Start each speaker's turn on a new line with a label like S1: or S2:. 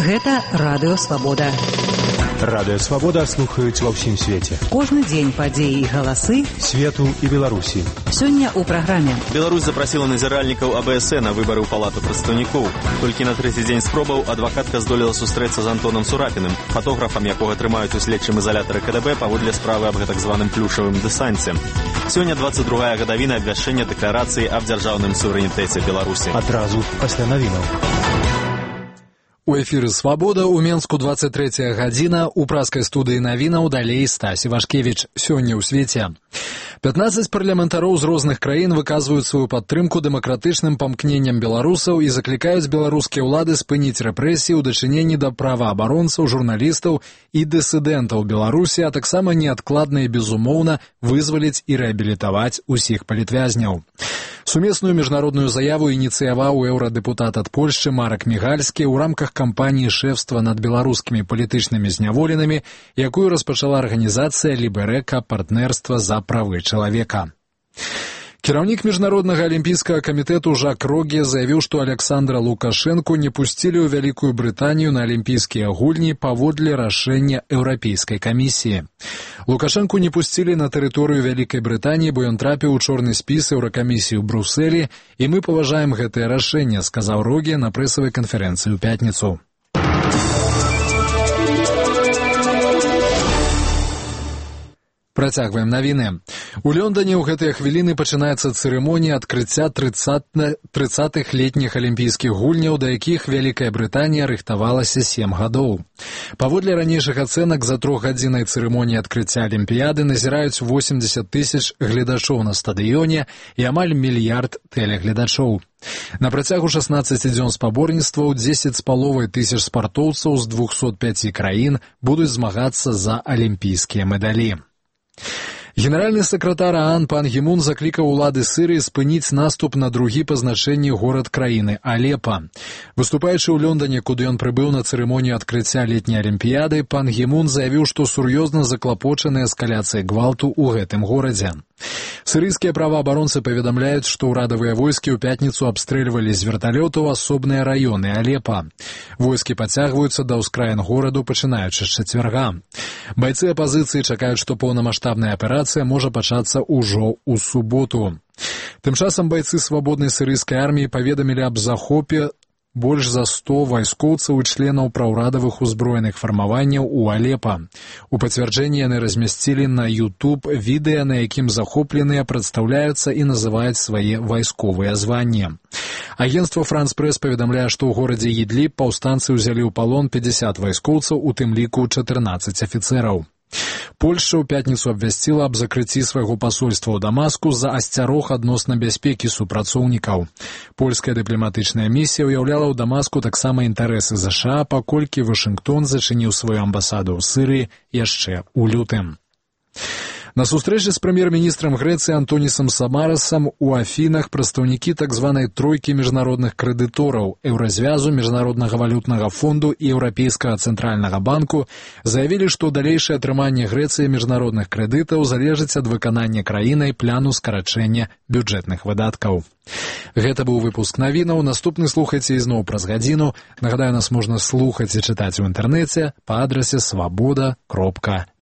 S1: Гэта Радыё Свабода.
S2: Радыё Свабода слухаюць ва ўсім свеце.
S1: Кожны дзень падзеі і галасы
S2: свету і Беларусі.
S1: Сёння ў праграме.
S3: Беларусь запрасіла назіральнікаў АБС на выбары ў палату прадстаўнікоў. Толькі на трэці дзень спробаў адвакатка здолела сустрэцца з Антонам Сурапіным, фотографам, якога трымаюць у следчым ізалятары КДБ паводле справы аб гэтак званым плюшавым дэсанце. Сёння 22-я гадавіна абвяшчэння дэкларацыі аб дзяржаўным суверэнітэце Беларусі.
S2: Адразу пасля навінаў.
S4: У эфіры «Свабода» у Менску 23-я гадзіна, у праскай студыі навінаў далей Стась Івашкевіч. Сёння ў свеце. 15 парламентароў з розных краін выказваюць сваю падтрымку дэмакратычным памкненням беларусаў і заклікаюць беларускія ўлады спыніць рэпрэсіі ў дачыненні да праваабаронцаў, журналістаў і дысідэнтаў Беларусі, а таксама неадкладна і безумоўна вызваліць і рэабілітаваць усіх палітвязняў. Сумесную міжнародную заяву ініцыяваў еўрадэпутат ад Польшчы Марак Мігальскі ў рамках кампаніі шэфства над беларускімі палітычнымі зняволенымі, якую распачала арганізацыя Ліберэка партнерства за правы чалавека. Кіраўнік міжнароднага алімпійскага камітэту Жак Роге заявіў, што Александра Лукашэнку не пусцілі ў Вялікую Брытанію на алімпійскія гульні паводле рашэння Еўрапейскай камісіі. Лукашэнку не пусцілі на тэрыторыю Вялікай Брытаніі, бо ён трапіў у чорны спіс Еўракамісіі ў Брусэлі, і мы паважаем гэтае рашэнне, сказаў Роге на прэсавай канферэнцыі ў пятніцу. Працягваем навіны. У Лондоне ў гэтыя хвіліны пачынаецца цырымонія адкрыцця 30-х летніх алімпійскіх гульняў, да якіх Вялікая Брытанія рыхтавалася 7 гадоў. Паводле ранейшых ацэнак, за 3-гадзіннай цырымоніі адкрыцця алімпіяды назіраюць 80 тысяч гледачоў на стадыёне і амаль мільярд тэлегледачоў. На працягу 16 дзён спаборніцтваў 10,5 тысяч спартоўцаў з 205 краін будуць змагацца за алімпійскія медалі. Генеральны сакратар ААН Пан Гі Мун заклікаў улады Сірыі спыніць наступ на другі па значэнні горад краіны Алепа. Выступаючы ў Лондоне, куды ён прыбыў на цырымонію адкрыцця летняй алімпіяды, Пан Гі Мун заявіў, што сур'ёзна заклапочаны эскаляцыяй гвалту ў гэтым горадзе. Сірыйскія праваабаронцы паведамляюць, што ўрадавыя войскі ў пятніцу абстрэльвалі з верталётаў асобныя раёны Алепа. Войскі пацягваюцца да ўскраін гораду, пачынаючы з чацвярга. Байцы апазіцыі чакаюць, што поўнамаштабная аперацыя можа пачацца ўжо ў суботу. Тым часам байцы свабоднай сірыйскай арміі паведамілі аб захопе больш за 100 вайскоўцаў і членаў праўрадавых узброеных фармаванняў у Алепа. У пацвярджэнні яны размясцілі на YouTube відэа, на якім захопленыя прадстаўляюцца і называюць свае вайсковыя званні. Агенцтва France Press паведамляе, што ў горадзе Ідліб паўстанцы ўзялі ў палон 50 вайскоўцаў, у тым ліку 14 афіцэраў. Польшча ў пятніцу абвясціла аб закрыцці свайго пасольства ў Дамаску з-за асцярог адносна бяспекі супрацоўнікаў. Польская дыпламатычная місія ўяўляла ў Дамаску таксама інтарэсы ЗША, паколькі Вашынгтон зачыніў сваю амбасаду ў Сірыі яшчэ ў лютым. На сустрэчы з прэм'ер-міністрам Грэцыі Антонісам Самарасам у Афінах прадстаўнікі так званай тройкі міжнародных крэдытораў Еўразвязу, Міжнароднага валютнага фонду і Еўрапейскага цэнтральнага банку заявілі, што далейшае атрыманне Грэцыі міжнародных крэдытаў залежыць ад выканання краінай пляну скарачэння бюджэтных выдаткаў. Гэта быў выпуск навінаў. Наступны слухайце ізноў праз гадзіну. Нагадаю, нас можна слухаць і чытаць у інтэрнэце па адрасе swaboda.net.